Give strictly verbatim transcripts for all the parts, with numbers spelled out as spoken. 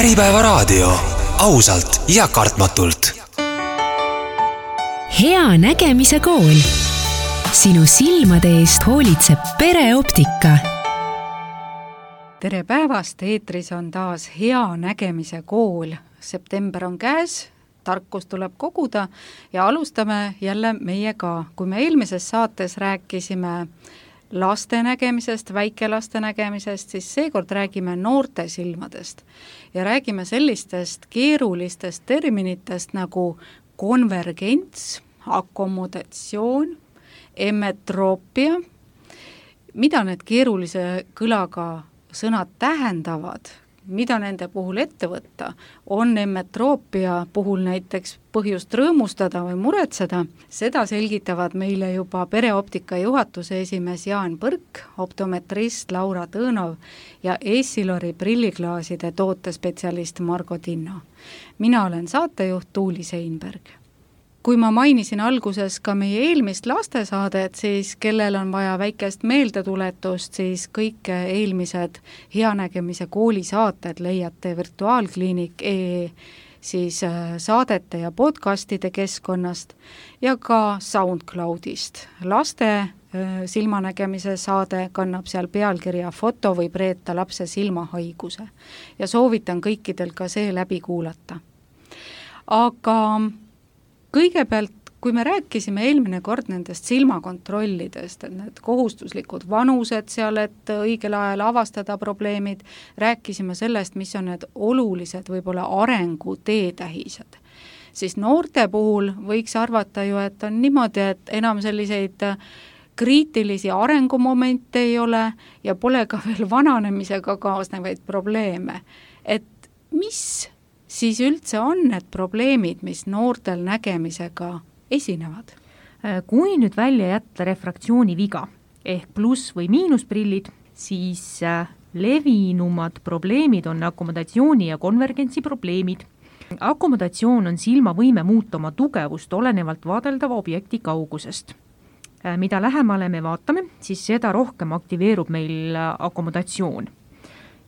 Äripäevaraadio, ausalt ja kartmatult. Hea nägemise kool. Sinu silmade eest hoolitseb pereoptika. Tere päevast, eetris on taas Hea nägemise kool. September on käes, tarkus tuleb koguda ja alustame jälle meiega. Kui me eelmises saates rääkisime laste nägemisest, väikelaste nägemisest, siis seekord räägime noorte silmadest ja räägime sellistest keerulistest terminitest nagu konvergents, akomodatsioon, emmetroopia. Mida need keerulise kõlaga sõnad tähendavad, mida nende puhul ette võtta, on emmetroopia puhul näiteks põhjust rõõmustada või muretseda, seda selgitavad meile juba pereoptika juhatuse esimees Jaan Põrk, optometrist Laura Tõõnov ja Essilori prilliklaaside tootespetsialist Margo Tinno. Mina olen saatejuht Tuuli Seinberg. Kui ma mainisin alguses ka meie eelmist lastesaadet, siis kellel on vaja väikest meeldetuletust, siis kõik eelmised Hea nägemise kooli saated leiate virtuaalkliinik E siis saadete ja podcastide keskkonnast ja ka SoundCloudist. Laste silmanägemise saade kannab seal pealkirja Foto võib reeta lapse silmahaiguse ja soovitan kõikidel ka see läbi kuulata. Aga kõigepealt, kui me rääkisime eelmine kord nendest silmakontrollidest, et need kohustuslikud vanused seal, et õigel ajal avastada probleemid, rääkisime sellest, mis on need olulised võib-olla arengu teetähised. Siis noorte puhul võiks arvata ju, et on niimoodi, et enam selliseid kriitilisi arengumomente ei ole ja pole ka veel vananemisega kaasnevaid probleeme. Et mis siis üldse on need probleemid, mis noortel nägemisega esinevad? Kui nüüd välja jätta refraktsiooni viga ehk pluss- või miinusprillid, siis levinumad probleemid on akomodatsiooni ja konvergentsi probleemid. Akomodatsioon on silma võime muuta oma tugevust olenevalt vaadeldava objekti kaugusest. Mida lähemale me vaatame, siis seda rohkem aktiveerub meil akomodatsioon.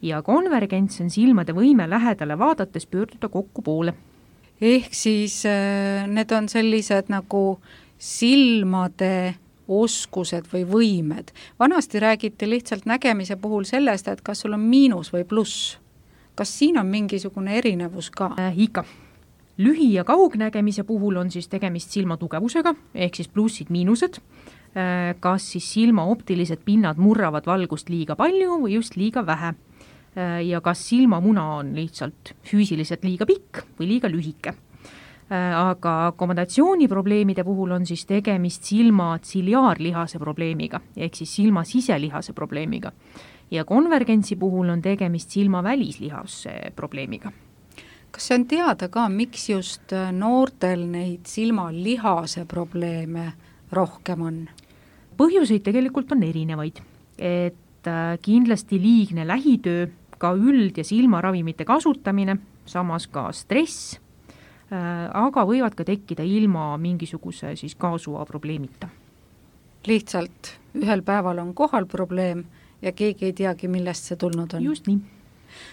Ja konvergents on silmade võime lähedale vaadates pöörduda kokku poole. Ehk siis need on sellised nagu silmade oskused või võimed. Vanasti räägiti lihtsalt nägemise puhul sellest, et kas sul on miinus või pluss. Kas siin on mingisugune erinevus ka? Äh, ikka. Lühi- ja kaugnägemise puhul on siis tegemist silma tugevusega, ehk siis plussid, miinused. Äh, kas siis silma optilised pinnad murravad valgust liiga palju või just liiga vähe. Ja kas silmamuna on lihtsalt füüsiliselt liiga pikk või liiga lühike. Aga akomodatsiooni probleemide puhul on siis tegemist silma tsiliaarlihase probleemiga, ehk siis silma siselihase probleemiga. Ja konvergentsi puhul on tegemist silma välislihase probleemiga. Kas see on teada ka, miks just noortel neid silmalihase probleeme rohkem on? Põhjuseid tegelikult on erinevaid, et kindlasti liigne lähitöö, ka üld- ja silmaravimite kasutamine, samas ka stress, aga võivad ka tekkida ilma mingisuguse siis kaasuva probleemita. Lihtsalt ühel päeval on kohal probleem ja keegi ei teagi, millest see tulnud on. Just nii.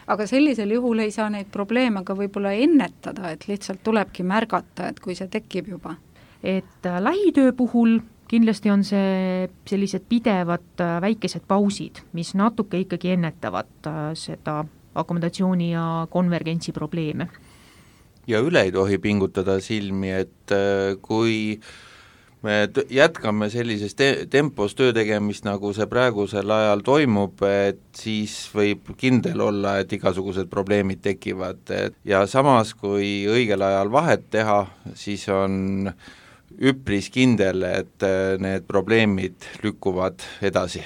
Aga sellisel juhul ei saa neid probleeme ka võib-olla ennetada, et lihtsalt tulebki märgata, et kui see tekib juba. Et lähitöö puhul kindlasti on see sellised pidevad väikesed pausid, mis natuke ikkagi ennetavad seda akomodatsiooni ja konvergentsi probleeme. Ja üle ei tohi pingutada silmi, et kui me jätkame sellises te- tempos töötegemist, nagu see praegusel ajal toimub, et siis võib kindel olla, et igasugused probleemid tekivad. Ja samas, kui õigel ajal vahet teha, siis on üpris kindel, et need probleemid lükkuvad edasi.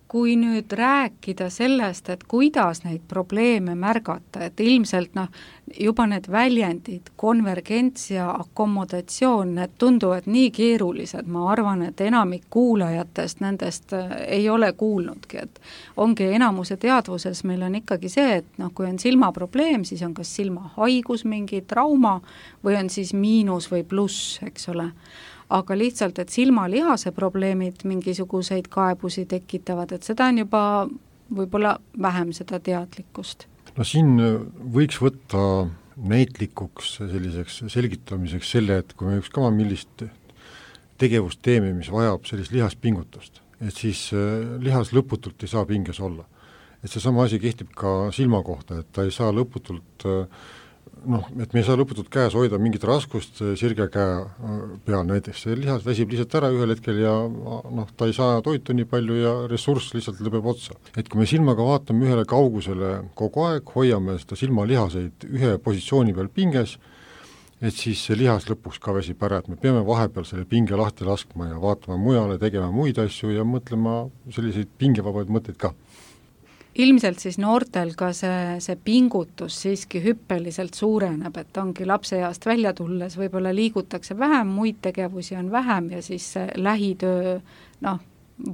Kui nüüd rääkida sellest, et kuidas neid probleeme märgata, et ilmselt noh, juba need väljendid, konvergents ja akomodatsioon, need tunduvad nii keerulised, ma arvan, et enamik kuulajatest nendest ei ole kuulnudki, et ongi enamuse teadvuses meil on ikkagi see, et noh, kui on silmaprobleem, siis on kas silmahaigus, mingi trauma või on siis miinus või pluss, eks ole. Aga lihtsalt, et silmalihase probleemid mingisuguseid kaebusi tekitavad, et seda on juba võib-olla vähem seda teadlikkust. no siin võiks võtta näitlikuks selliseks selgitamiseks selle, et kui me ükskama millist tegevust teeme, mis vajab sellist lihaspingutust, et siis lihas lõputult ei saa pinges olla. Et see sama asi kehtib ka silma kohta, et ta ei saa lõputult noh, et me ei saa lõputult käes hoida mingit raskust sirge käe peal näiteks, see lihas väsib lihtsalt ära ühel hetkel ja noh, ta ei saa toitu nii palju ja ressurss lihtsalt lõpeb otsa. Et kui me silmaga vaatame ühele kaugusele kogu aeg, hoiame seda silmalihaseid ühe positsiooni peal pinges, et siis see lihas lõpuks ka väsib ära, et me peame vahepeal selle pinge lahti laskma ja vaatama mujale, tegema muid asju ja mõtlema selliseid pingevabaid mõtteid ka. Ilmselt siis noortel ka see, see pingutus siiski hüppeliselt suureneb, et ongi lapseeast välja tulles, võib-olla liigutakse vähem, muid tegevusi on vähem ja siis see lähitöö noh,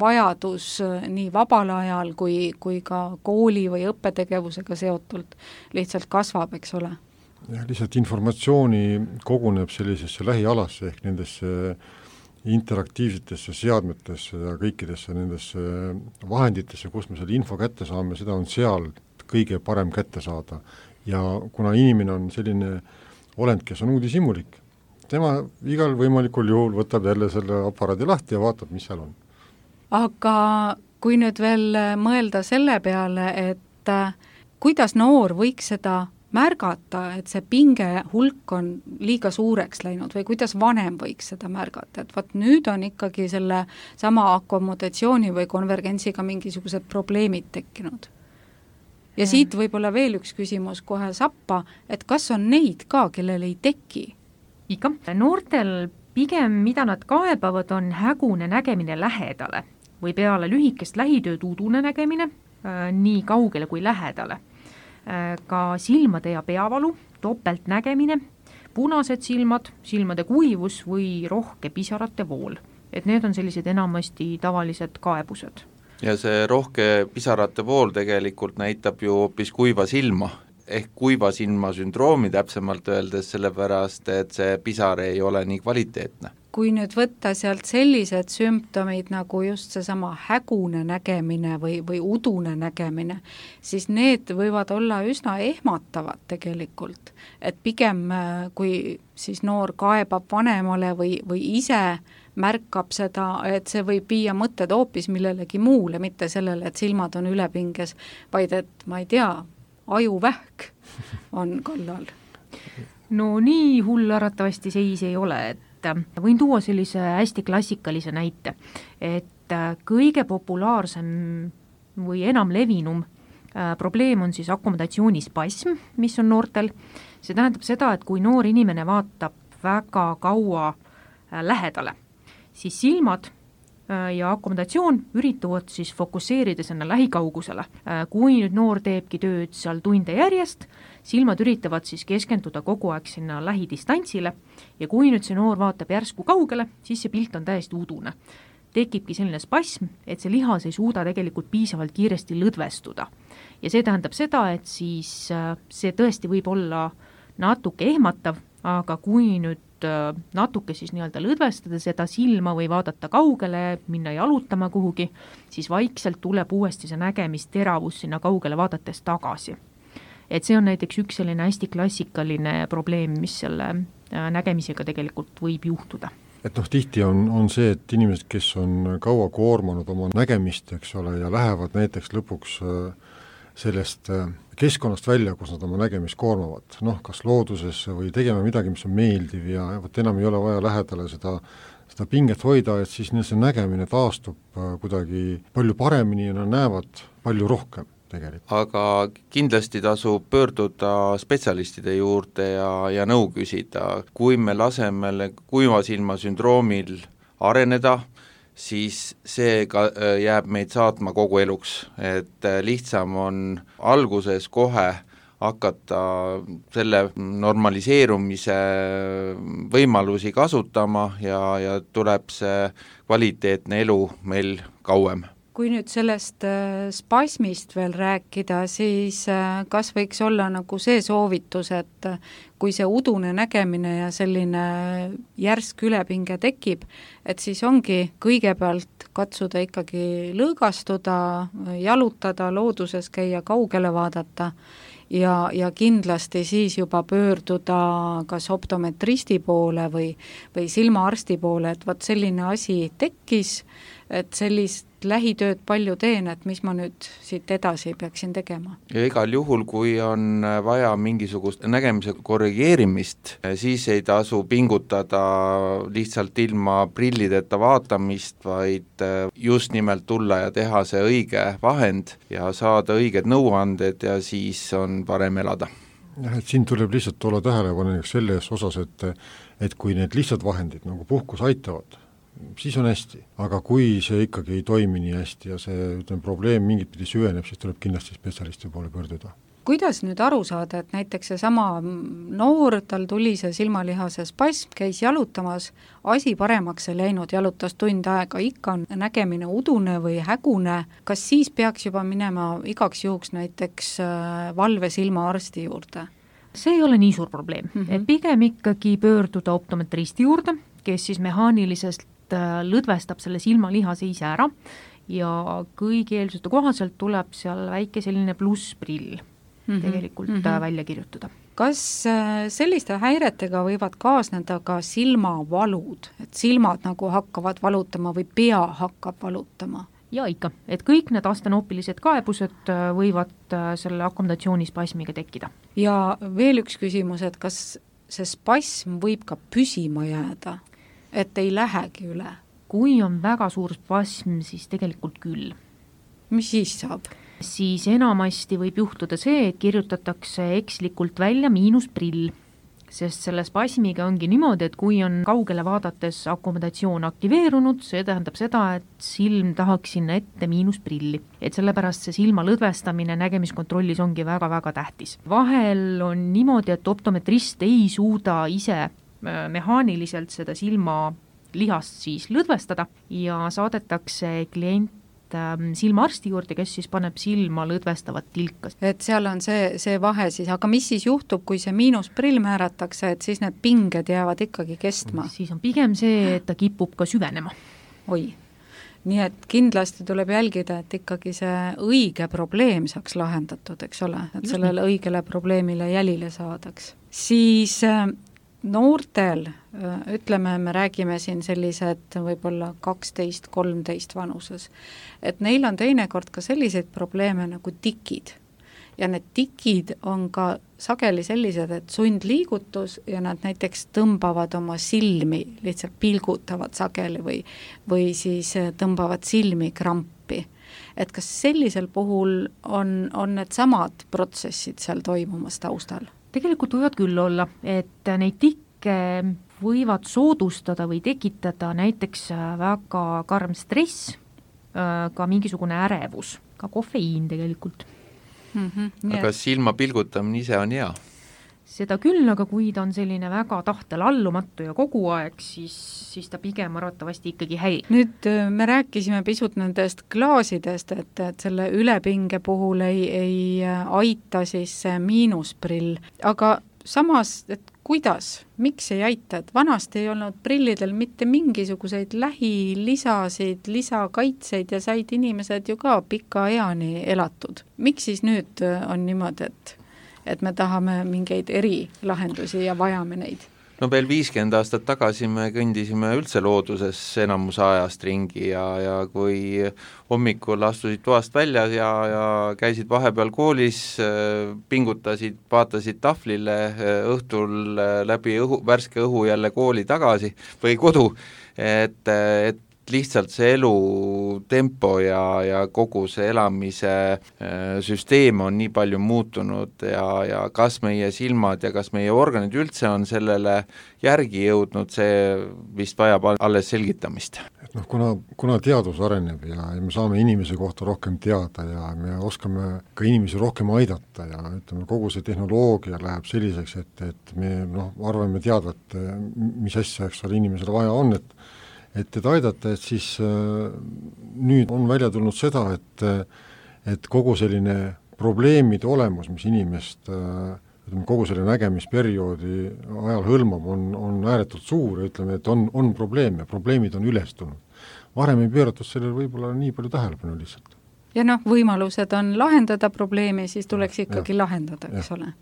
vajadus nii vabal ajal kui, kui ka kooli või õppetegevusega seotult lihtsalt kasvab, eks ole. Ja lihtsalt informatsiooni koguneb sellisesse lähialasse ehk nendesse interaktiivsetesse seadmetesse ja kõikidesse nendesse vahenditesse, kus me selle info kätte saame, seda on seal kõige parem kätte saada. Ja kuna inimene on selline olend, kes on uudishimulik, tema igal võimalikul juhul võtab jälle selle aparaadi lahti ja vaatab, mis seal on. Aga kui nüüd veel mõelda selle peale, et kuidas noor võiks seda märgata, et see pinge hulk on liiga suureks läinud või kuidas vanem võiks seda märgata, et vaat nüüd on ikkagi selle sama akomodatsiooni või konvergentsiga mingisugused probleemid tekkinud. Ja siit võib-olla veel üks küsimus kohe sappa, et kas on neid ka, kellel ei teki? Iga. Noortel pigem, mida nad kaebavad, on hägune nägemine lähedale või peale lühikest lähitööd udune nägemine äh, nii kaugele kui lähedale. Ka silmade ja peavalu, topelt nägemine, punased silmad, silmade kuivus või rohke pisarate vool. Et need on sellised enamasti tavalised kaebused. Ja see rohke pisarate vool tegelikult näitab ju hoopis kuiva silma, ehk kuiva silma sündroomi täpsemalt öeldes, sellepärast, et see pisar ei ole nii kvaliteetne. Kui nüüd võtta sealt sellised sümptomid nagu just seesama hägune nägemine või, või udune nägemine, siis need võivad olla üsna ehmatavad tegelikult. Et pigem kui siis noor kaebab vanemale või, või ise märkab seda, et see võib viia mõtted hoopis millelegi muule, mitte sellele, et silmad on ülepinges, vaid et ma ei tea, ajuvähk on kallal. No nii hull arvatavasti seis ei ole, et võin tuua sellise hästi klassikalise näite, et kõige populaarsem või enam levinum probleem on siis akomodatsioonispasm, mis on noortel. See tähendab seda, et kui noor inimene vaatab väga kaua lähedale, siis silmad ja akomodatsioon üritavad siis fokusseerida sinna lähikaugusele. Kui nüüd noor teebki tööd seal tunde järjest, silmad üritavad siis keskenduda kogu aeg sinna lähidistantsile ja kui nüüd see noor vaatab järsku kaugele, siis see pilt on täiesti udune. Tekibki selline spasm, et see lihas ei suuda tegelikult piisavalt kiiresti lõdvestuda. Ja see tähendab seda, et siis see tõesti võib olla natuke ehmatav, aga kui nüüd natuke siis nii-öelda lõdvestada seda silma või vaadata kaugele, minna jalutama kuhugi, siis vaikselt tuleb uuesti see nägemisteravus sinna kaugele vaadates tagasi. Et see on näiteks üks selline hästi klassikaline probleem, mis selle nägemisega tegelikult võib juhtuda. Et noh, tihti on, on see, et inimesed, kes on kaua koormanud oma nägemist, eks ole, ja lähevad näiteks lõpuks sellest keskkonnast välja, kus nad oma nägemist koormavad, noh, kas loodusesse või tegema midagi, mis on meeldiv ja võt enam ei ole vaja lähedale seda, seda pinget hoida, et siis see nägemine taastub kuidagi palju paremini ja nad näevad palju rohkem tegelikult. Aga kindlasti tasub pöörduda spetsialistide juurde ja, ja nõu küsida, kui me laseme kuiva silma sündroomil areneda, siis see ka jääb meid saatma kogu eluks, et lihtsam on alguses kohe hakata selle normaliseerumise võimalusi kasutama ja, ja tuleb see kvaliteetne elu meil kauem. kui nüüd sellest spasmist veel rääkida, siis kas võiks olla nagu see soovitus, et kui see udune nägemine ja selline järsk ülepinge tekib, et siis ongi kõigepealt katsuda ikkagi lõõgastuda, jalutada, looduses käia, kaugele vaadata ja, ja kindlasti siis juba pöörduda kas optometristi poole või, või silmaarsti poole, et vaat selline asi tekkis, et sellist lähitööd palju teen, et mis ma nüüd siit edasi peaksin tegema. Ja igal juhul, kui on vaja mingisugust nägemise korrigeerimist, siis ei tasu pingutada lihtsalt ilma prillideta vaatamist, vaid just nimelt tulla ja teha see õige vahend ja saada õiged nõuanded ja siis on parem elada. Jah, et siin tuleb lihtsalt olla tähelepanelikult selles osas, et, et kui need lihtsalt vahendid nagu puhkus aitavad, siis on hästi, aga kui see ikkagi ei toimi nii hästi ja see ütleme, probleem mingit pidi süveneb, siis tuleb kindlasti spetsialisti poole pöörduda. Kuidas nüüd aru saada, et näiteks see sama noor, tal tuli see silmalihase spasm, käis jalutamas, asi paremaks ei läinud, jalutas tund aega, ikka on nägemine udune või hägune, kas siis peaks juba minema igaks juhuks näiteks valve silmaarsti juurde? See ei ole nii suur probleem, mm -hmm. et pigem ikkagi pöörduda optometristi juurde, kes siis mehaanilisest lõdvestab selle silmalihase ise ära ja kõigi eelduste kohaselt tuleb seal väike selline plussprill mm -hmm. tegelikult mm -hmm. välja kirjutada. Kas selliste häiretega võivad kaasneda ka silmavalud, et silmad nagu hakkavad valutama või pea hakkab valutama? Ja ikka, et kõik need astenoopilised kaebused võivad selle akomodatsioonispasmiga tekkida. Ja veel üks küsimus, et kas see spasm võib ka püsima jääda? Et ei lähegi üle? Kui on väga suur spasm, siis tegelikult küll. Mis siis saab? Siis enamasti võib juhtuda see, et kirjutatakse ekslikult välja miinusprill, sest selle spasmiga ongi niimoodi, et kui on kaugele vaadates akomodatsioon aktiveerunud, see tähendab seda, et silm tahaks sinna ette miinusprilli. Et sellepärast see silma lõdvestamine nägemiskontrollis ongi väga-väga tähtis. Vahel on niimoodi, et optometrist ei suuda ise mehaaniliselt seda silma lihast siis lõdvestada ja saadetakse klient silmaarsti juurde, kes siis paneb silma lõdvestavat tilka. Et seal on see, see vahe siis, aga mis siis juhtub, kui see miinusprill määratakse, et siis need pinged jäävad ikkagi kestma? Siis on pigem see, et ta kipub ka süvenema. Oi, nii et kindlasti tuleb jälgida, et ikkagi see õige probleem saaks lahendatud, eks ole, et just sellele nii. Õigele probleemile jälile saadaks. Siis noortel, ütleme, me räägime siin sellised võib-olla kaksteist kolmteist vanuses, et neil on teinekord ka selliseid probleeme nagu tikid. Ja need tikid on ka sageli sellised, et sundliigutus ja nad näiteks tõmbavad oma silmi, lihtsalt pilgutavad sageli või, või siis tõmbavad silmi krampi. Et kas sellisel puhul on, on need samad protsessid seal toimumas taustal? Tegelikult võivad küll olla, et neid tikke võivad soodustada või tekitada näiteks väga karm stress, ka mingisugune ärevus, ka kofeiin tegelikult. Mm -hmm, aga silma pilgutamine ise on hea? Seda küll, aga kui ta on selline väga tahtel allumatu ja kogu aeg, siis, siis ta pigem arvatavasti ikkagi häirib. Nüüd me rääkisime pisut nendest klaasidest, et, et selle ülepinge puhul ei, ei aita siis see miinusprill, aga samas, et kuidas, miks ei aita, et vanasti ei olnud prillidel mitte mingisuguseid lähilisasid, lisakaitseid ja said inimesed ju ka pika eani elatud. Miks siis nüüd on niimoodi, et et me tahame mingeid erilahendusi ja vajame neid? No veel viiskümmend aastat tagasi me kõndisime üldse looduses enamuse ajast ringi ja, ja kui hommikul astusid toast välja ja, ja käisid vahepeal koolis, pingutasid, vaatasid tahvlile, õhtul läbi õhu, värske õhu jälle kooli tagasi või kodu, et, et lihtsalt see elutempo ja, ja kogu see elamise süsteem on nii palju muutunud ja, ja kas meie silmad ja kas meie organid üldse on sellele järgi jõudnud, see vist vajab alles selgitamist. Et noh, kuna, kuna teadus areneb ja, ja me saame inimese kohta rohkem teada ja me oskame ka inimesi rohkem aidata ja ütleme, kogu see tehnoloogia läheb selliseks, et, et me noh, arvame teadvat, mis asja, eks ole, inimesele vaja on, et et et aidata, et siis äh, nüüd on välja tulnud seda, et et kogu selline probleemide olemus, mis inimest äh, ütleme, kogu selle nägemisperioodi ajal hõlmab, on, on ääretult suur ja ütleme, et on, on probleeme, probleemid on üles tulnud. Varem ei pööratud sellele võib-olla nii palju tähelepanu lihtsalt. Ja noh, võimalused on lahendada probleemi, siis tuleks ikkagi ja. lahendada, eks ja. ole.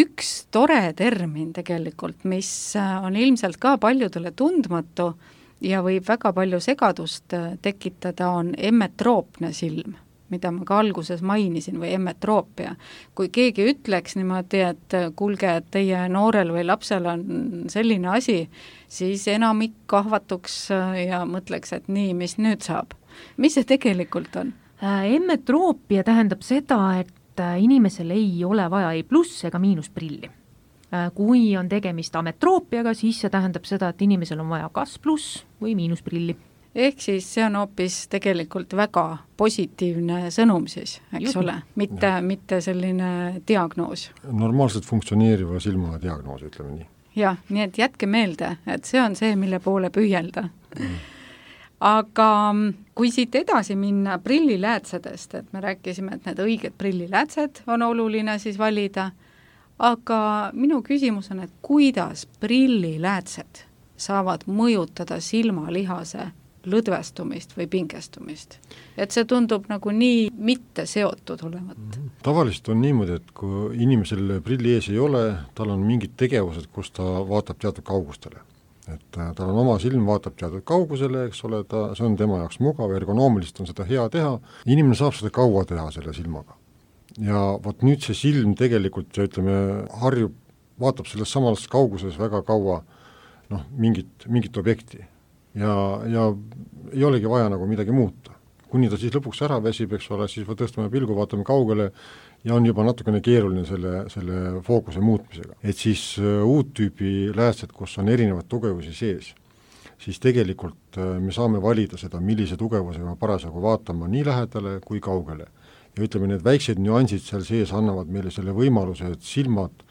Üks tore termin tegelikult, mis on ilmselt ka paljudele tundmatu ja võib väga palju segadust tekitada, on emmetroopne silm, mida ma ka alguses mainisin, või emmetroopia. Kui keegi ütleks niimoodi, et kuulge, et teie noorel või lapsel on selline asi, siis enamik kahvatuks ja mõtleks, et nii, mis nüüd saab. Mis see tegelikult on? Emmetroopia tähendab seda, et inimesel ei ole vaja ei pluss ega miinusprilli. Kui on tegemist ametroopiaga, siis see tähendab seda, et inimesel on vaja kas pluss või miinusprilli. Ehk siis see on hoopis tegelikult väga positiivne sõnum siis, eks Just. ole, mitte, mitte selline diagnoos. Normaalselt funktsioneeriva silma diagnoos, ütleme nii. Jah, nii et jätke meelde, et see on see, mille poole püüelda. Mm. Aga kui siit edasi minna prilliläätsedest, et me rääkisime, et need õiged prilliläätsed on oluline siis valida, aga minu küsimus on, et kuidas prilliläätsed saavad mõjutada silmalihase lõdvestumist või pingestumist. Et see tundub nagu nii mitte seotud olevat. Tavaliselt on niimoodi, et kui inimesel prilli ees ei ole, tal on mingid tegevused, kus ta vaatab teatud kaugustele. Et tal on oma silm, vaatab teatud kaugusele, eks ole, ta, see on tema jaoks mugav, ergonoomilist on seda hea teha. Inimene saab seda kaua teha selle silmaga. Ja vot nüüd see silm tegelikult, ja ütleme, harjub, vaatab selles samas kauguses väga kaua noh, mingit, mingit objekti. Ja, ja ei olegi vaja nagu midagi muuta. Kuni ta siis lõpuks ära väsib, eks ole, siis tõstame pilgu, vaatame kaugele ja on juba natukene keeruline selle, selle fookuse muutmisega. Et siis uh, uut tüübi läätsed, kus on erinevad tugevusi sees, siis tegelikult uh, me saame valida seda, millise tugevusega parasjagu vaatama nii lähedale kui kaugele. Ja ütleme, need väiksed nüansid seal sees annavad meile selle võimaluse, et silmad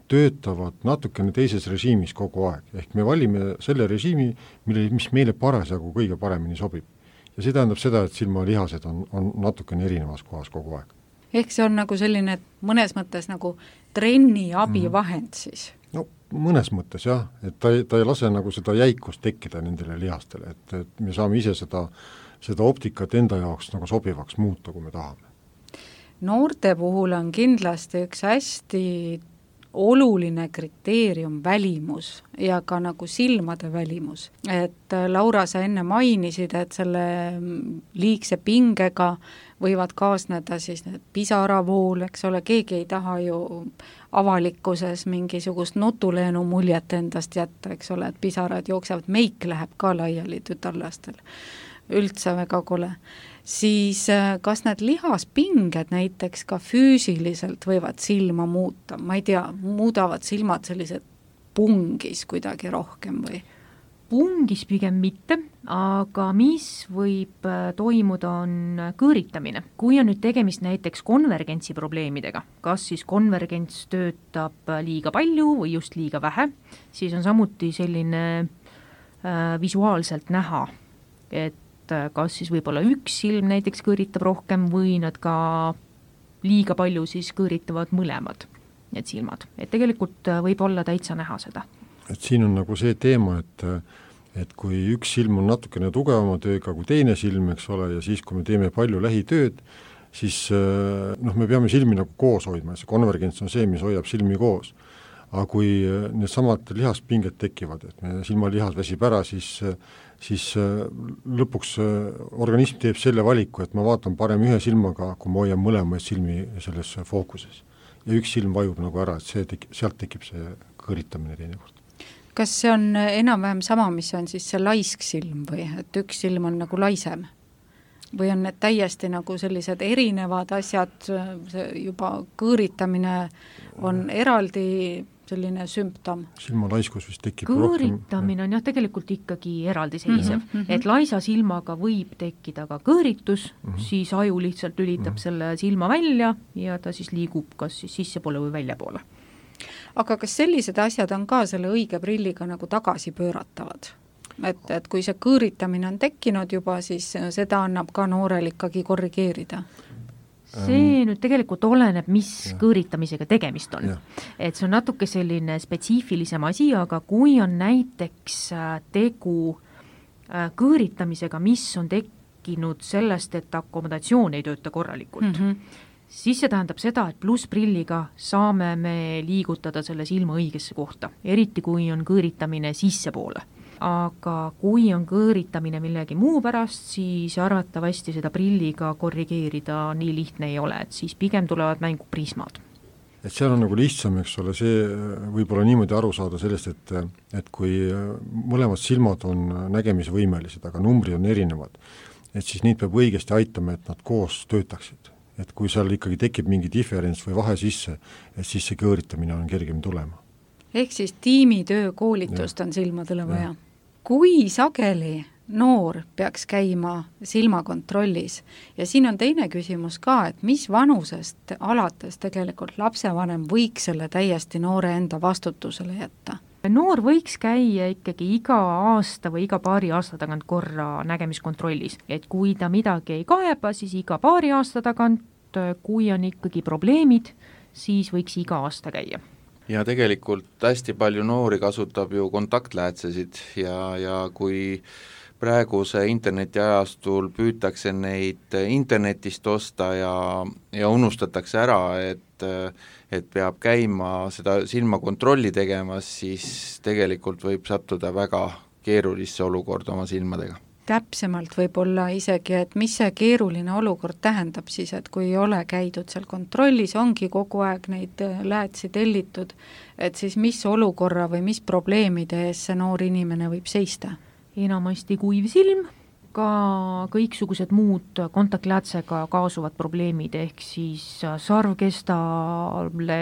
töötavad natukene teises režiimis kogu aeg. Ehk me valime selle režiimi, mille, mis meile parasjagu kõige paremini sobib. Ja see tähendab seda, et silmalihased on, on natukene erinevas kohas kogu aeg. Ehk see on nagu selline mõnes mõttes nagu trenni abivahend mm. siis? No mõnes mõttes jah, et ta, ta ei lase nagu seda jäikust tekkida nendele lihastele, et, et me saame ise seda, seda optikat enda jaoks nagu sobivaks muuta, kui me tahame. Noorte puhul on kindlasti üks hästi oluline kriteerium välimus ja ka nagu silmade välimus. Et Laura, sa enne mainisid, et selle liigse pingega võivad kaasneda siis need pisaravool, eks ole, keegi ei taha ju avalikkuses mingisugust nutuleenu muljet endast jätta, eks ole, et pisarad jooksevad, meik läheb ka laiali tütarlastel. Üldse väga kole. Siis kas need lihaspinged näiteks ka füüsiliselt võivad silma muuta? Ma ei tea, muudavad silmad sellised pungis kuidagi rohkem või? Pungis pigem mitte, aga mis võib toimuda, on kõõritamine. Kui on nüüd tegemist näiteks konvergentsi probleemidega, kas siis konvergents töötab liiga palju või just liiga vähe, siis on samuti selline äh, visuaalselt näha, et kas siis võib-olla üks silm näiteks kõõritab rohkem või nad ka liiga palju siis kõõritavad mõlemad need silmad. Et tegelikult võib olla täitsa näha seda. Et siin on nagu see teema, et, et kui üks silm on natukene tugevama tööga kui teine silm, eks ole, ja siis kui me teeme palju lähitööd, siis noh, me peame silmi nagu koos hoidma, see konvergents on see, mis hoiab silmi koos. Aga kui need samad lihaspinged tekivad, et me silmalihas väsib ära, siis siis lõpuks organism teeb selle valiku, et ma vaatan parem ühe silmaga, kui ma hoian mõlemaid silmi selles fookuses. Ja üks silm vajub nagu ära, et see tekib, sealt tekib see kõõritamine teinekord. Kas see on enam-vähem sama, mis on siis see laisk silm või et üks silm on nagu laisem? Või on need täiesti nagu sellised erinevad asjad, see juba kõõritamine on eraldi selline sümptom. Silmalaiskus vist tekib kõõritamine rohkem. On jah tegelikult ikkagi eraldiseisev, mm -hmm. et laisa silmaga võib tekkida ka kõõritus, mm -hmm. siis aju lihtsalt lülitab mm -hmm. selle silma välja ja ta siis liigub kas siis sissepoole või väljapoole. Aga kas sellised asjad on ka selle õige prilliga nagu tagasi pööratavad? et, et kui see kõõritamine on tekkinud juba, siis seda annab ka noorel ikkagi korrigeerida? See nüüd tegelikult oleneb, mis ja. kõõritamisega tegemist on. Et see on natuke selline spetsiifilisem asi, aga kui on näiteks tegu kõõritamisega, mis on tekkinud sellest, et akomodatsioon ei tööta korralikult, mm -hmm. siis see tähendab seda, et plussprilliga saame me liigutada selle silma õigesse kohta, eriti kui on kõõritamine sissepoole. Aga kui on kõõritamine millegi muu pärast, siis arvatavasti seda prilliga korrigeerida nii lihtne ei ole, et siis pigem tulevad mängu prismad. Et seal on nagu lihtsam, eks ole, see võib-olla niimoodi aru saada sellest, et, et kui mõlemad silmad on nägemisvõimelised, aga numbrid on erinevad, et siis neid peab õigesti aitama, et nad koos töötaksid. Et kui seal ikkagi tekib mingi diferents või vahe sisse, et siis see kõõritamine on kergem tulema. Ehk siis tiimitöö koolitust ja. on silmadele vaja. Ja. Kui sageli noor peaks käima silmakontrollis ja siin on teine küsimus ka, et mis vanusest alates tegelikult lapsevanem võiks selle täiesti noore enda vastutusele jätta? Noor võiks käia ikkagi iga aasta või iga paari aasta tagant korra nägemiskontrollis, et kui ta midagi ei kaeba, siis iga paari aasta tagant, kui on ikkagi probleemid, siis võiks iga aasta käia. Ja tegelikult hästi palju noori kasutab ju kontaktläätsesid ja, ja kui praeguse internetiajastul püütakse neid internetist osta ja, ja unustatakse ära, et, et peab käima seda silmakontrolli tegemas, siis tegelikult võib sattuda väga keerulisse olukorda oma silmadega. Täpsemalt võib-olla isegi, et mis see keeruline olukord tähendab siis, et kui ei ole käidud seal kontrollis, ongi kogu aeg neid läätsi tellitud, et siis mis olukorra või mis probleemide ees see noor inimene võib seista? Enamasti kuiv silm, ka kõiksugused muud kontaktläätsega kaasuvad probleemid, ehk siis sarvkestale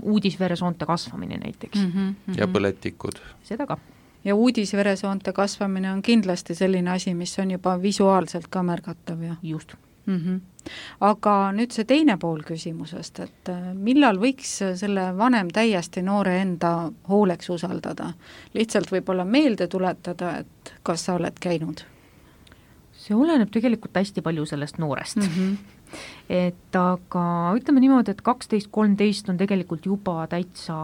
uudisveresoonte kasvamine näiteks. Mm -hmm. Ja põletikud. Seda ka. Ja uudisveresoonte kasvamine on kindlasti selline asi, mis on juba visuaalselt ka märgatav. Ja? Just. Mm -hmm. Aga nüüd see teine pool küsimusest, et millal võiks selle vanem täiesti noore enda hooleks usaldada? Lihtsalt võib-olla meelde tuletada, et kas sa oled käinud? See oleneb tegelikult hästi palju sellest noorest. Mm -hmm. Et aga ütleme niimoodi, et kaksteist kolmteist on tegelikult juba täitsa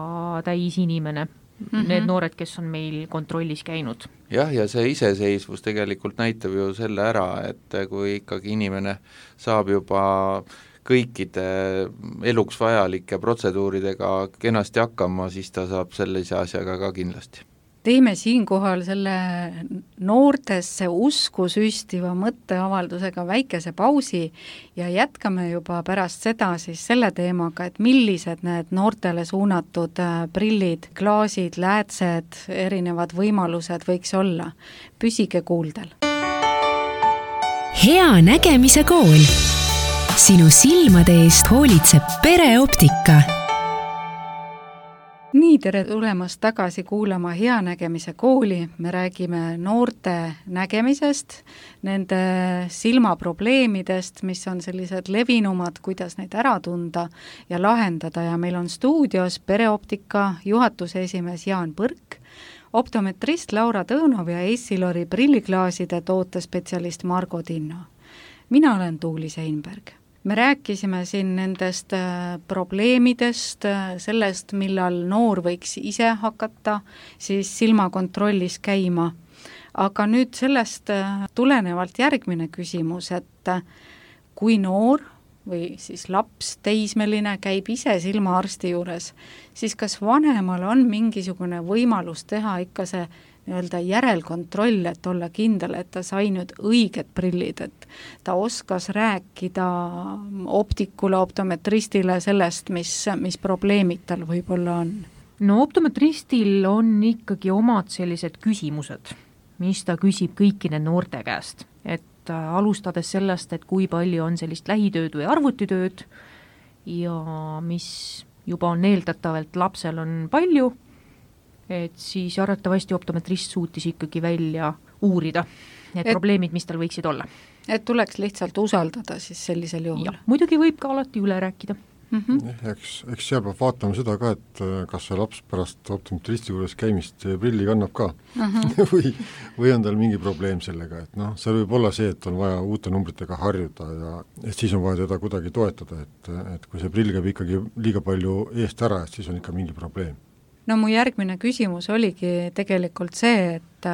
täis inimene. Mm-hmm. Need noored, kes on meil kontrollis käinud. Jah, ja see iseseisvus tegelikult näitab ju selle ära, et kui ikkagi inimene saab juba kõikide eluks vajalike protseduuridega kenasti hakkama, siis ta saab sellise asjaga ka kindlasti. Teeme siinkohal selle noortesse usku süstiva mõtteavaldusega väikese pausi ja jätkame juba pärast seda siis selle teemaga, et millised need noortele suunatud prillid, klaasid, läätsed, erinevad võimalused võiks olla. Püsige kuuldel. Hea nägemise kool. Sinu silmade eest hoolitseb Pereoptika. Nii, tere tulemast tagasi kuulama Hea nägemise kooli. Me räägime noorte nägemisest, nende silmaprobleemidest, mis on sellised levinumad, kuidas neid ära tunda ja lahendada. Ja meil on stuudios Pereoptika juhatuse esimees Jaan Põrk, optometrist Laura Tõõnov ja Essilori prilliklaaside tootespetsialist Margo Tinno. Mina olen Tuuli Seinberg. Me rääkisime siin nendest probleemidest, sellest, millal noor võiks ise hakata siis silmakontrollis käima. Aga nüüd sellest tulenevalt järgmine küsimus, et kui noor või siis laps, teismeline käib ise silmaarsti juures, siis kas vanemal on mingisugune võimalus teha ikka see nii-öelda järelkontroll, et olla kindel, et ta sai nüüd õiged prillid, et ta oskas rääkida optikule, optometristile sellest, mis, mis probleemid tal võib-olla on? No optometristil on ikkagi omad sellised küsimused, mis ta küsib kõikide noorte käest, et alustades sellest, et kui palju on sellist lähitööd või arvutitööd ja mis juba on eeldatavalt lapsel on palju, et siis arvatavasti optometrist suutis ikkagi välja uurida need et, probleemid, mis tal võiksid olla. Et tuleks lihtsalt usaldada siis sellisel juhul? Ja, muidugi võib ka alati üle rääkida. mm. -hmm. Eks, eks seal peab vaatama seda ka, et kas see laps pärast optometristi juures käimist prilli kannab ka mm -hmm. või, või on tal mingi probleem sellega, et noh, seal võib olla see, et on vaja uute numbritega harjuda ja et siis on vaja teda kuidagi toetada, et, et kui see prill käib ikkagi liiga palju eest ära, et siis on ikka mingi probleem. No mu järgmine küsimus oligi tegelikult see, et,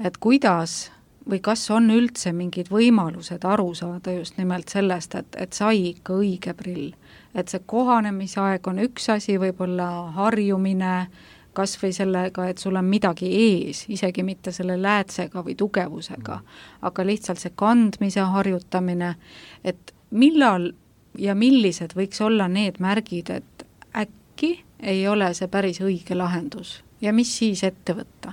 et kuidas või kas on üldse mingid võimalused aru saada just nimelt sellest, et, et sai ikka õige prill. Et see kohanemisaeg on üks asi, võib-olla harjumine, kas või sellega, et sul on midagi ees, isegi mitte selle läätsega või tugevusega, aga lihtsalt see kandmise harjutamine, et millal ja millised võiks olla need märgid, et äkki ei ole see päris õige lahendus ja mis siis ette võtta?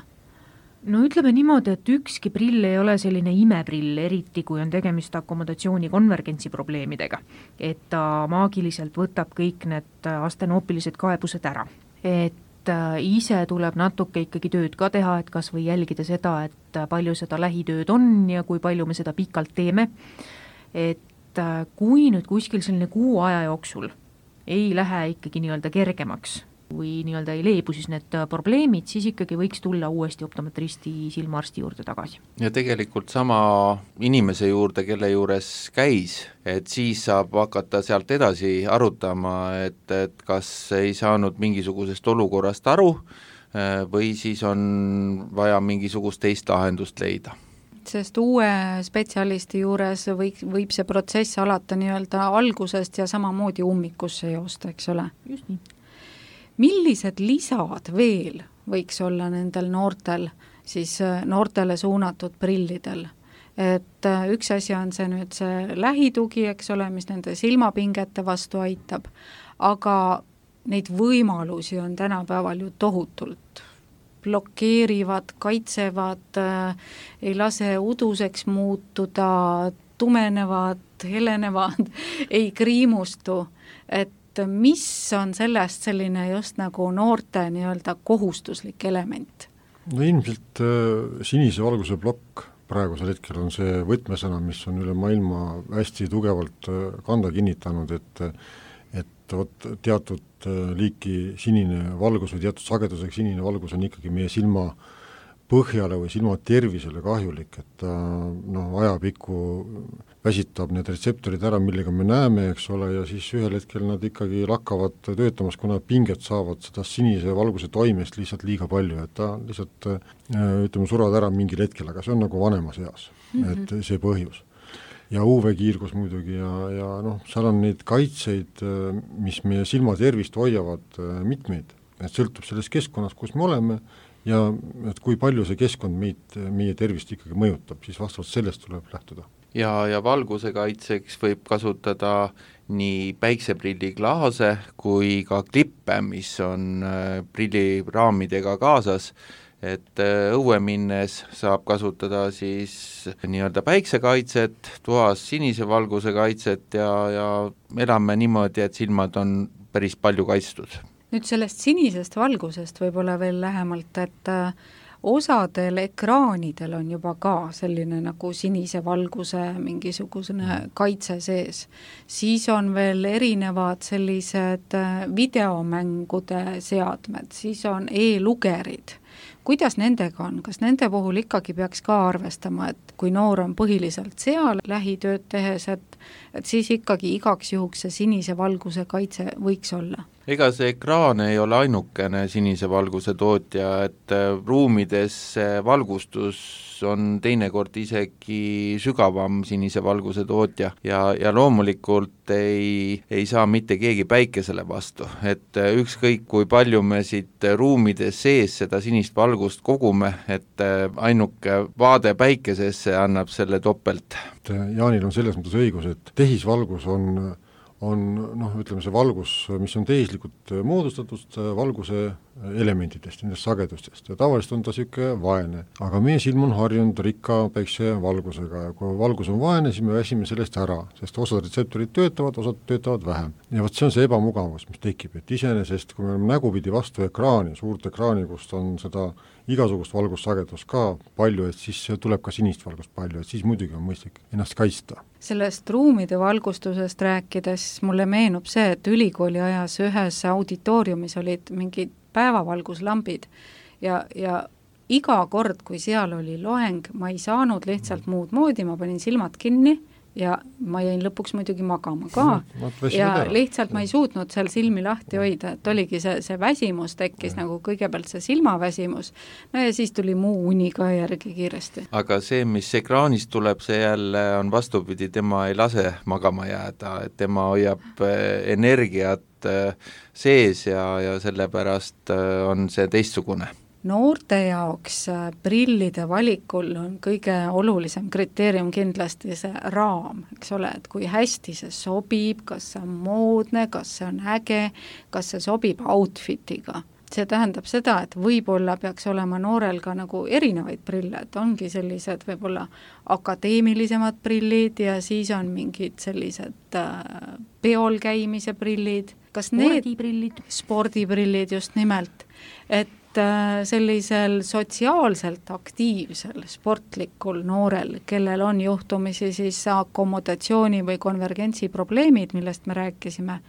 No ütleme niimoodi, et ükski prill ei ole selline imeprill, eriti kui on tegemist akomodatsiooni konvergentsi probleemidega, et ta maagiliselt võtab kõik need astenoopilised kaebused ära. Et ise tuleb natuke ikkagi tööd ka teha, et kas või jälgida seda, et palju seda lähitööd on ja kui palju me seda pikalt teeme. Et kui nüüd kuskil selline kuu aja jooksul ei lähe ikkagi nii-öelda kergemaks, või nii-öelda ei leebu siis need probleemid, siis ikkagi võiks tulla uuesti optometristi silmaarsti juurde tagasi. Ja tegelikult sama inimese juurde, kelle juures käis, et siis saab hakata sealt edasi arutama, et, et kas ei saanud mingisugusest olukorrast aru või siis on vaja mingisugust teist lahendust leida. Sest uue spetsialisti juures võib, võib see protsess alata nii-öelda algusest ja samamoodi ummikusse joosta, eks ole? Just nii. Millised lisad veel võiks olla nendel noortel, siis noortele suunatud prillidel? Et üks asi on see nüüd see lähitugi, eks ole, mis nende silmapingete vastu aitab, aga neid võimalusi on tänapäeval ju tohutult. Blokeerivad, kaitsevad, ei lase uduseks muutuda, tumenevad, helenevad, ei kriimustu, et mis on sellest selline just nagu noorte nii-öelda kohustuslik element? No ilmselt äh, sinise valguse plokk praegusel hetkel on see võtmesõna, mis on üle maailma hästi tugevalt äh, kanda kinnitanud, et et vot teatud äh, liiki sinine valgus või teatud sagedusega sinine valgus on ikkagi meie silma põhjale või silma tervisele kahjulik, et ta noh, ajapikku väsitab need retseptorid ära, millega me näeme, eks ole, ja siis ühel hetkel nad ikkagi lakkavad töötamas, kuna pinged saavad seda sinise valguse toimest lihtsalt liiga palju, et ta lihtsalt ütleme, survad ära mingil hetkel, aga see on nagu vanemas eas mm, -hmm. et see põhjus. Ja U V-kiirgus muidugi ja, ja noh, seal on neid kaitseid, mis meie silma tervist hoiavad mitmeid, et sõltub sellest keskkonnast, kus me oleme, ja et kui palju see keskkond meid, meie tervist ikkagi mõjutab, siis vastavalt sellest tuleb lähtuda. Ja, ja valguse kaitseks võib kasutada nii päikseprilliklaase kui ka klippe, mis on prilliraamidega kaasas, et õue minnes saab kasutada siis nii-öelda päiksekaitset, toas sinise valguse kaitset ja, ja elame niimoodi, et silmad on päris palju kaitstud. Nüüd sellest sinisest valgusest võib-olla veel lähemalt, et osadel ekraanidel on juba ka selline nagu sinise valguse mingisugune kaitse sees. Siis on veel erinevad sellised videomängude seadmed, siis on e-lugerid. Kuidas nendega on? Kas nende puhul ikkagi peaks ka arvestama, et kui noor on põhiliselt seal lähitööd tehes, et, et siis ikkagi igaks juhuks see sinise valguse kaitse võiks olla? Ega see ekraan ei ole ainukene sinise valguse tootja, et ruumides valgustus on teinekord isegi sügavam sinise valguse tootja ja, ja loomulikult ei, ei saa mitte keegi päikesele vastu, et ükskõik kui palju me siit ruumides sees seda sinist valgust kogume, et ainuke vaade päikesesse annab selle topelt. Jaanil on selles mõttes õigus, et tehisvalgus on on noh, ütleme see valgus, mis on tehislikult moodustatud valguse elementidest, nendest sagedustest ja tavaliselt on ta niisugune vaene. Aga meie silm on harjunud rikka päiksevalgusega ja kui valgus on vaene, siis me väsime sellest ära, sest osad retseptorid töötavad, osad töötavad vähem. Ja vot see on see ebamugavus, mis tekib, et iseenesest, kui me oleme nägupidi vastu ekraani, suurt ekraani, kust on seda igasugust valgussagedust ka palju, et siis tuleb ka sinist valgust palju, et siis muidugi on mõistlik ennast kaitsta. Sellest ruumide valgustusest rääkides mulle meenub see, et ülikooli ajas ühes auditooriumis olid mingid päevavalguslambid ja, ja iga kord, kui seal oli loeng, ma ei saanud lihtsalt muud moodi, ma panin silmad kinni ja ma jäin lõpuks muidugi magama ka no, ja ära. Lihtsalt ma ei suutnud seal silmi lahti hoida, et oligi see, see väsimus tekkis ja. Nagu kõigepealt see silmaväsimus, no ja siis tuli muu uni ka järgi kiiresti. Aga see, mis ekraanist tuleb, see jälle on vastupidi, tema ei lase magama jääda, et tema hoiab energiat sees ja, ja sellepärast on see teistsugune. Noorte jaoks prillide valikul on kõige olulisem kriteerium kindlasti see raam, eks ole, et kui hästi see sobib, kas see on moodne, kas see on äge, kas see sobib outfitiga. See tähendab seda, et võib-olla peaks olema noorel ka nagu erinevaid prille, et ongi sellised võib-olla akadeemilisemad prillid ja siis on mingid sellised äh, peol käimise prillid. Kas spordiprillid. Need, spordiprillid just nimelt, et sellisel sotsiaalselt aktiivsel sportlikul noorel, kellel on juhtumisi siis akomodatsiooni või konvergentsi probleemid, millest me rääkisime,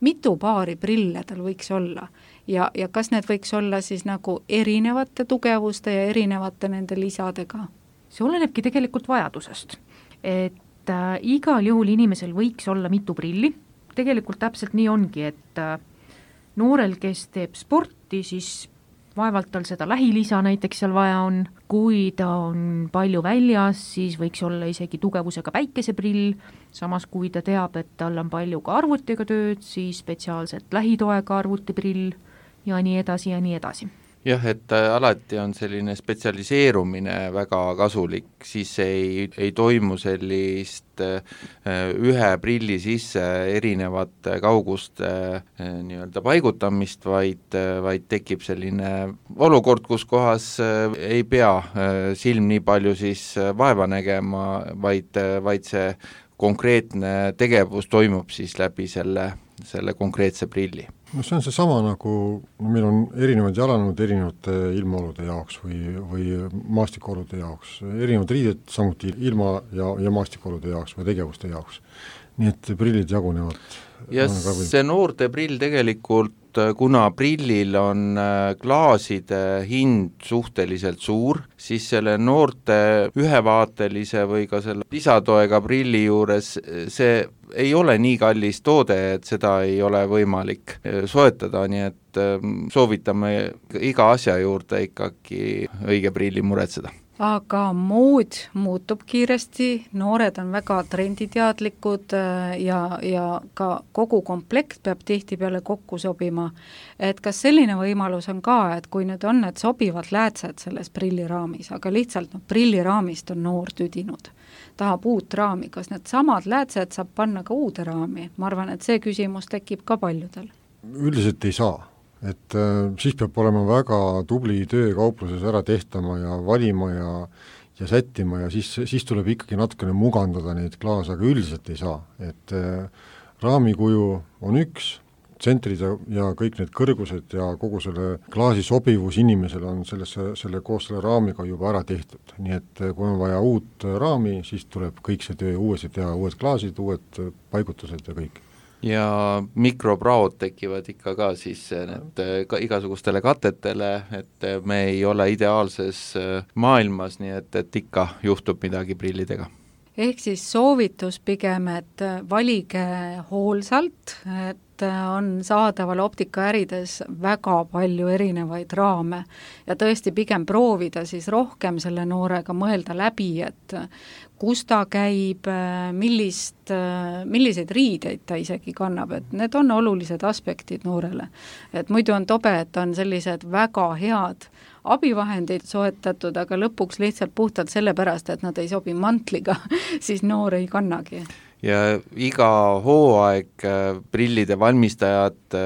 mitu paari prille tal võiks olla ja, ja kas need võiks olla siis nagu erinevate tugevuste ja erinevate nende lisadega? See olenebki tegelikult vajadusest, et äh, igal juhul inimesel võiks olla mitu prilli, tegelikult täpselt nii ongi, et äh, noorel, kes teeb sporti, siis vaevalt tal seda lähilisa näiteks seal vaja on, kui ta on palju väljas, siis võiks olla isegi tugevusega päikeseprill, samas kui ta teab, et tal on palju ka arvutiga tööd, siis spetsiaalselt lähitoega arvutiprill ja nii edasi ja nii edasi. Jah, et alati on selline spetsialiseerumine väga kasulik, siis ei, ei toimu sellist ühe prilli sisse erinevate kauguste nii-öelda paigutamist, vaid, vaid tekib selline olukord, kus kohas ei pea silm nii palju siis vaeva nägema, vaid, vaid see konkreetne tegevus toimub siis läbi selle, selle konkreetse prilli. No see on see sama nagu, no meil on erinevad jalanõud erinevate ilmaolude jaoks või, või maastikuolude jaoks, erinevad riided samuti ilma- ja, ja maastikuolude jaoks või tegevuste jaoks. Nii et prillid jagunevad. Ja see noorte prill tegelikult, kuna prillil on klaaside hind suhteliselt suur, siis selle noorte ühevaatelise või ka selle lisatoega prilli juures see ei ole nii kallis toode, et seda ei ole võimalik soetada, nii et soovitame iga asja juurde ikkagi õige prilli muretseda. Aga mood muutub kiiresti, noored on väga trenditeadlikud ja, ja ka kogu komplekt peab tihtipeale kokku sobima. Et kas selline võimalus on ka, et kui nüüd on need sobivad läätsed selles prilliraamis, aga lihtsalt no, prilliraamist on noor tüdinud, tahab uut raami, kas need samad läätsed saab panna ka uude raami? Ma arvan, et see küsimus tekib ka paljudel. Üldiselt ei saa. Et äh, siis peab olema väga tubli töö kaupluses ära tehtama ja valima ja, ja sättima ja siis, siis tuleb ikkagi natukene mugandada neid klaase, aga üldiselt ei saa. Et äh, raamikuju on üks, tsentrid ja, ja kõik need kõrgused ja kogu selle klaasi sobivus inimesele on sellesse, selle koos selle raamiga juba ära tehtud. Nii et kui on vaja uut raami, siis tuleb kõik see töö uuesti teha, uued klaasid, uued paigutused ja kõik. Ja mikropraod tekivad ikka ka siis need ka igasugustele katetele, et me ei ole ideaalses maailmas, nii et, et ikka juhtub midagi prillidega. Ehk siis soovitus pigem, et valige hoolsalt, et on saadaval optikaärides väga palju erinevaid raame ja tõesti pigem proovida siis rohkem selle noorega mõelda läbi, et kus ta käib, millist, milliseid riideid ta isegi kannab, et need on olulised aspektid noorele. Et muidu on tobe, et on sellised väga head abivahendid soetatud, aga lõpuks lihtsalt puhtalt sellepärast, et nad ei sobi mantliga, siis noor ei kannagi. ja iga hooaeg prillide valmistajad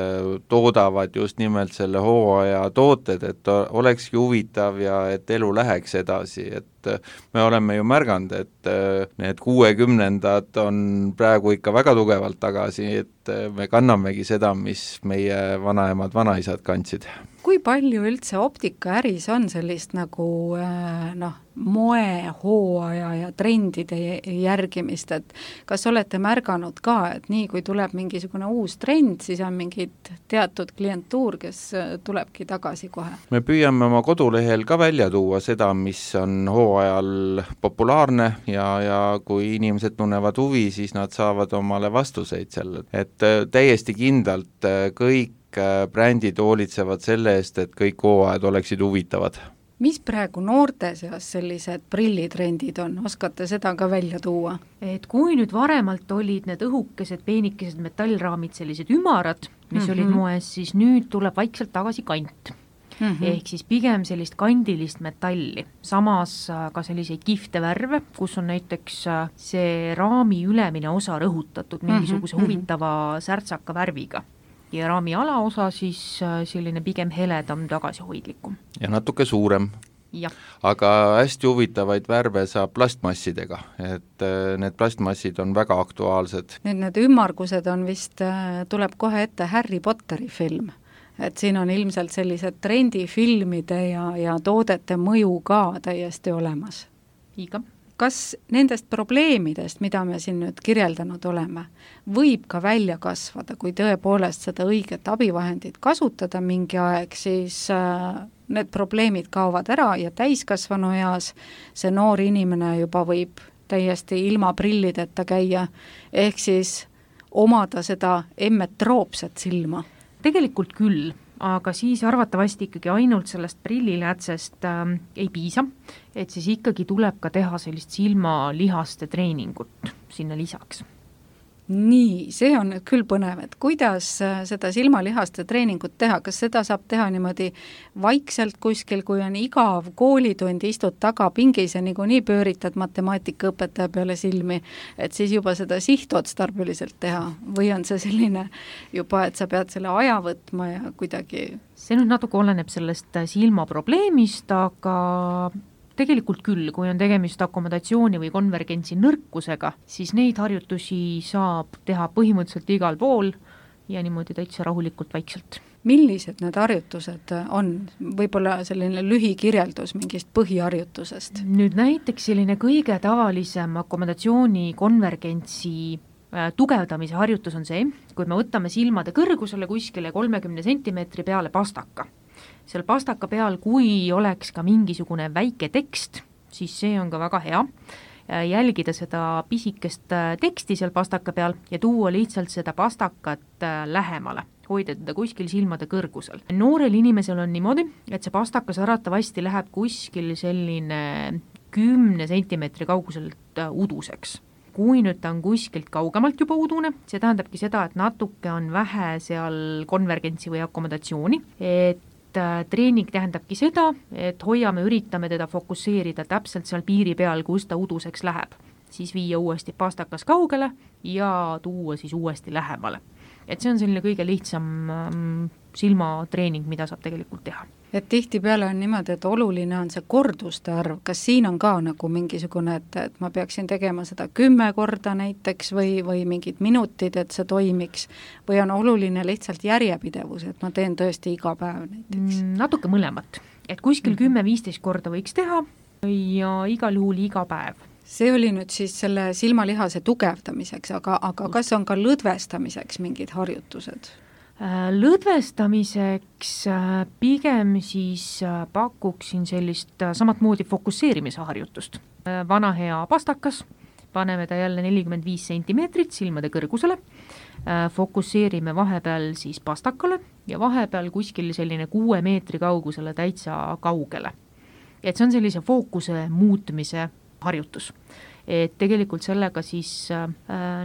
toodavad just nimelt selle hooaja tooted, et olekski huvitav ja et elu läheks edasi, et me oleme ju märganud, et need kuuekümnendad on praegu ikka väga tugevalt tagasi, et me kannamegi seda, mis meie vanaemad, vanaisad kandsid. Kui palju üldse optikaäris on sellist nagu noh, moe, hooaja ja trendide järgimist, et kas olete märganud ka, et nii kui tuleb mingisugune uus trend, siis on mingid teatud klientuur, kes tulebki tagasi kohe? Me püüame oma kodulehel ka välja tuua seda, mis on hooajal populaarne ja, ja kui inimesed tunnevad huvi, siis nad saavad omale vastuseid selle, et täiesti kindlalt kõik brändid hoolitsevad selle eest, et kõik hooajad oleksid huvitavad. Mis praegu noorte seas sellised prillitrendid on? Oskate seda ka välja tuua? Et kui nüüd varemalt olid need õhukesed, peenikesed metallraamid, sellised ümarad, mis mm-hmm. olid moes, siis nüüd tuleb vaikselt tagasi kant. Mm-hmm. Ehk siis pigem sellist kandilist metalli. Samas ka selliseid kihvte värve, kus on näiteks see raami ülemine osa rõhutatud mingisuguse mm-hmm. huvitava särtsaka värviga. Ja raami alaosa siis selline pigem heledam, tagasihoidlikum. Ja natuke suurem. Ja. Aga hästi huvitavaid värve saab plastmassidega, et need plastmassid on väga aktuaalsed. Nüüd need ümmargused on vist, tuleb kohe ette Harry Potteri film, et siin on ilmselt sellised trendifilmide ja, ja toodete mõju ka täiesti olemas. Iga. Kas nendest probleemidest, mida me siin nüüd kirjeldanud oleme, võib ka välja kasvada, kui tõepoolest seda õiget abivahendit kasutada mingi aeg, siis need probleemid kaovad ära ja täiskasvanu eas see noor inimene juba võib täiesti ilma prillideta käia, ehk siis omada seda emmetroopset silma. Tegelikult küll, aga siis arvatavasti ikkagi ainult sellest prillilätsest äh, ei piisa, et siis ikkagi tuleb ka teha sellist silmalihaste treeningut sinna lisaks. Nii, see on nüüd küll põnev, et kuidas seda silmalihaste treeningut teha, kas seda saab teha niimoodi vaikselt kuskil, kui on igav koolitund, istud taga pingis ja nii, nii pööritad matemaatikaõpetaja peale silmi, et siis juba seda sihtotstarbeliselt teha, või on see selline juba, et sa pead selle aja võtma ja kuidagi... See nüüd natuke oleneb sellest silmaprobleemist, aga... Tegelikult küll, kui on tegemist akomodatsiooni või konvergentsi nõrkusega, siis neid harjutusi saab teha põhimõtteliselt igal pool ja niimoodi täitsa rahulikult vaikselt. Millised need harjutused on? Võib-olla selline lühikirjeldus mingist põhiharjutusest? Nüüd näiteks selline kõige tavalisem akomodatsiooni konvergentsi tugevdamise harjutus on see, kui me võtame silmade kõrgusele kuskile kolmekümne sentimeetri peale pastaka. Seal pastaka peal, kui oleks ka mingisugune väike tekst, siis see on ka väga hea. Jälgida seda pisikest teksti seal pastaka peal ja tuua lihtsalt seda pastakat lähemale, hoida teda kuskil silmade kõrgusel. Noorel inimesel on niimoodi, et see pastakas arvatavasti läheb kuskil selline kümne sentimeetri kauguselt uduseks. Kui nüüd ta on kuskilt kaugemalt juba udune, see tähendabki seda, et natuke on vähe seal konvergentsi või akomodatsiooni, et treening tähendabki seda, et hoiame, üritame teda fokusseerida täpselt seal piiri peal, kus ta uduseks läheb. Siis viia uuesti pastakas kaugele ja tuua siis uuesti lähemale. Et see on selline kõige lihtsam silmatreening, mida saab tegelikult teha. Et tihti peale on niimoodi, et oluline on see korduste arv. Kas siin on ka nagu mingisugune, et, et ma peaksin tegema seda kümme korda näiteks või, või mingid minutid, et see toimiks? Või on oluline lihtsalt järjepidevus, et ma teen tõesti iga päev näiteks? Natuke mõlemat. Et kuskil kümme-viisteist korda võiks teha ja igal juhul iga päev. See oli nüüd siis selle silmalihase tugevdamiseks, aga, aga kas on ka lõdvestamiseks mingid harjutused? Lõdvestamiseks pigem siis pakuksin sellist samat moodi fokusseerimise harjutust. Vana hea pastakas, paneme ta jälle nelikümmend viis sentimeetrit silmade kõrgusele, fokusseerime vahepeal siis pastakale ja vahepeal kuskil selline kuue meetri kaugusele täitsa kaugele. Et see on sellise fookuse muutmise harjutus. Et tegelikult sellega siis äh,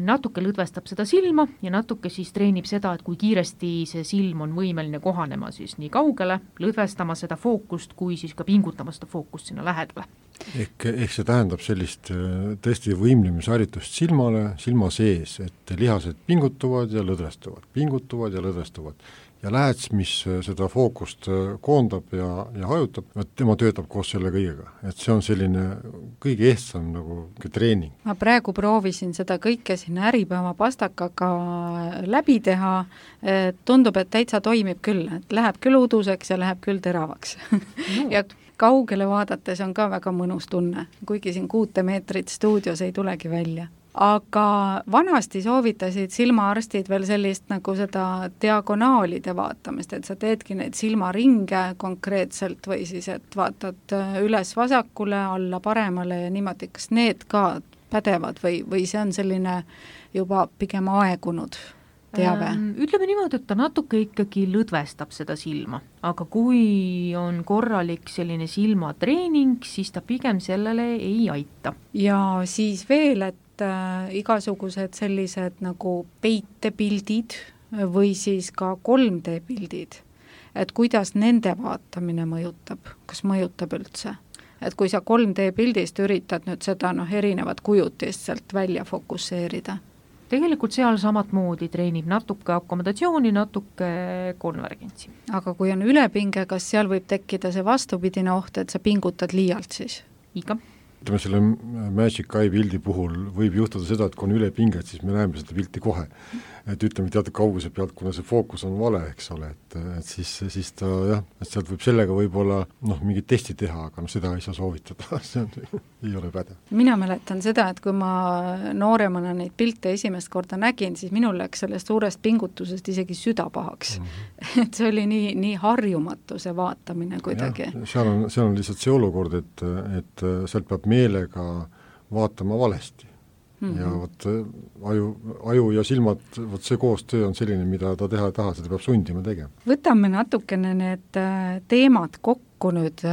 natuke lõdvestab seda silma ja natuke siis treenib seda, et kui kiiresti see silm on võimeline kohanema siis nii kaugele, lõdvestama seda fookust, kui siis ka pingutama seda fookust sinna lähedale. ehk, ehk see tähendab sellist tõesti võimlemisharjutust silmale, silma sees, et lihased pingutuvad ja lõdvestuvad, pingutuvad ja lõdvestuvad. Ja lähets, mis seda fookust koondab ja, ja hajutab, tema töötab koos selle kõigega. Et see on selline kõige ehtsam nagu treening. Ma praegu proovisin seda kõike siin Äripäeva pastakaga läbi teha, tundub, et täitsa toimib küll, et läheb küll uduseks ja läheb küll teravaks. No. Ja kaugele vaadates on ka väga mõnus tunne, kuigi siin kuute meetrit stuudios ei tulegi välja. Aga vanasti soovitasid silmaarstid veel sellist nagu seda diagonaalide vaatamist, et sa teedki neid silmaringe konkreetselt või siis, et vaatad üles vasakule, alla paremale ja niimoodi, kas need ka pädevad või, või see on selline juba pigem aegunud teave? Ähm, ütleme niimoodi, et ta natuke ikkagi lõdvestab seda silma, aga kui on korralik selline silmatreening, siis ta pigem sellele ei aita. Ja siis veel, et äh, igasugused sellised nagu peitepildid või siis ka kolm D pildid, et kuidas nende vaatamine mõjutab, kas mõjutab üldse? Et kui sa kolm D pildist üritad nüüd seda noh, erinevat kujutist sealt välja fokusseerida? Tegelikult seal samat moodi treenib natuke akomodatsiooni, natuke konvergentsi. Aga kui on ülepinge, kas seal võib tekkida see vastupidine oht, et sa pingutad liialt siis? Iga. Ütleme, selle Magic Eye pildi puhul võib juhtuda seda, et kui on ülepinget, siis me näeme seda pilti kohe. Et ütleme teatud kauguse pealt, kuna see fookus on vale, eks ole, et, et siis, siis ta jah, et sealt võib sellega võib-olla noh, mingit testi teha, aga no seda ei saa soovitada, see on, ei ole pädev. Mina mäletan seda, et kui ma nooremana neid pilte esimest korda nägin, siis minul läks sellest suurest pingutusest isegi süda pahaks. Mm-hmm. Et see oli nii, nii harjumatu see vaatamine kuidagi. Ja, seal on, seal on lihtsalt see olukord, et, et sealt peab meelega vaatama valesti. Mm-hmm. Ja võt, aju, aju ja silmad, võt see koostöö on selline, mida ta teha ei taha, seda peab sundima tegema. Võtame natukene need teemad kokku nüüd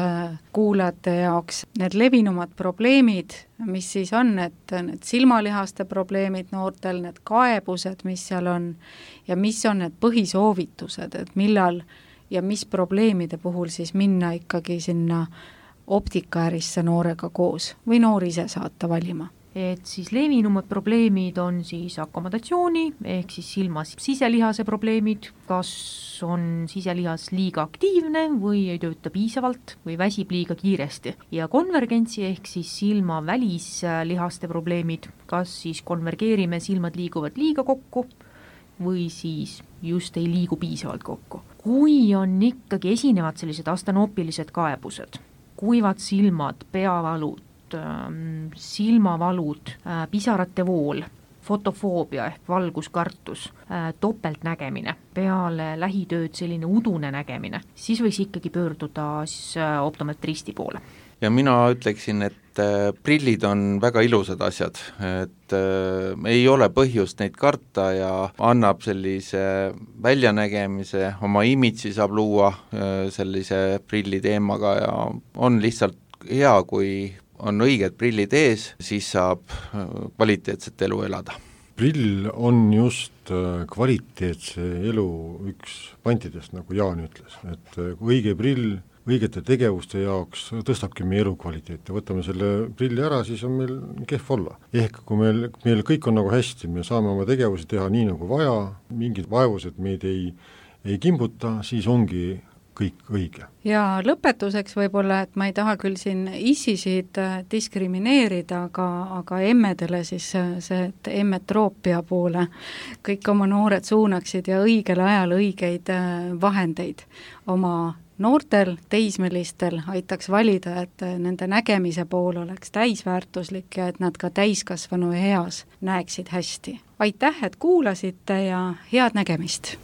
kuulajate jaoks, need levinumad probleemid, mis siis on, et need silmalihaste probleemid noortel, need kaebused, mis seal on ja mis on need põhisoovitused, et millal ja mis probleemide puhul siis minna ikkagi sinna optikaärisse noorega koos või noor ise saata valima. Et siis levinumad probleemid on siis akomodatsiooni ehk siis silmas siselihase probleemid, kas on siselihas liiga aktiivne või ei tööta piisavalt või väsib liiga kiiresti. Ja konvergentsi ehk siis silma välislihaste probleemid, kas siis konvergeerime, silmad liiguvad liiga kokku või siis just ei liigu piisavalt kokku. Kui on ikkagi esinevad sellised astanoopilised kaebused, kuivad silmad, peavalud, silmavalud, pisarate vool, fotofoobia ehk valguskartus, topeltnägemine, peale lähitööd selline udune nägemine, siis võiks ikkagi pöörduda siis optometristi poole. Ja mina ütleksin, et prillid on väga ilusad asjad, et äh, ei ole põhjust neid karta ja annab sellise väljanägemise, oma imitsi saab luua äh, sellise prilli teemaga ja on lihtsalt hea, kui on õiged prillid ees, siis saab kvaliteetset elu elada. Prill on just kvaliteetse elu üks pantidest, nagu Jaan ütles, et õige prill õigete tegevuste jaoks tõstabki meie elu kvaliteeti. Võtame selle prilli ära, siis on meil kehv olla. Ehk kui meil, meil kõik on nagu hästi, me saame oma tegevusi teha nii nagu vaja, mingid vaevused meid ei, ei kimbuta, siis ongi kõik õige. Ja lõpetuseks võib-olla, et ma ei taha küll siin issisid diskrimineerida, aga, aga emmedele siis see, et emmetroopia poole kõik oma noored suunaksid ja õigel ajal õigeid vahendeid oma noortel, teismelistel aitaks valida, et nende nägemise pool oleks täisväärtuslik ja et nad ka täiskasvanu eas näeksid hästi. Aitäh, et kuulasite ja head nägemist!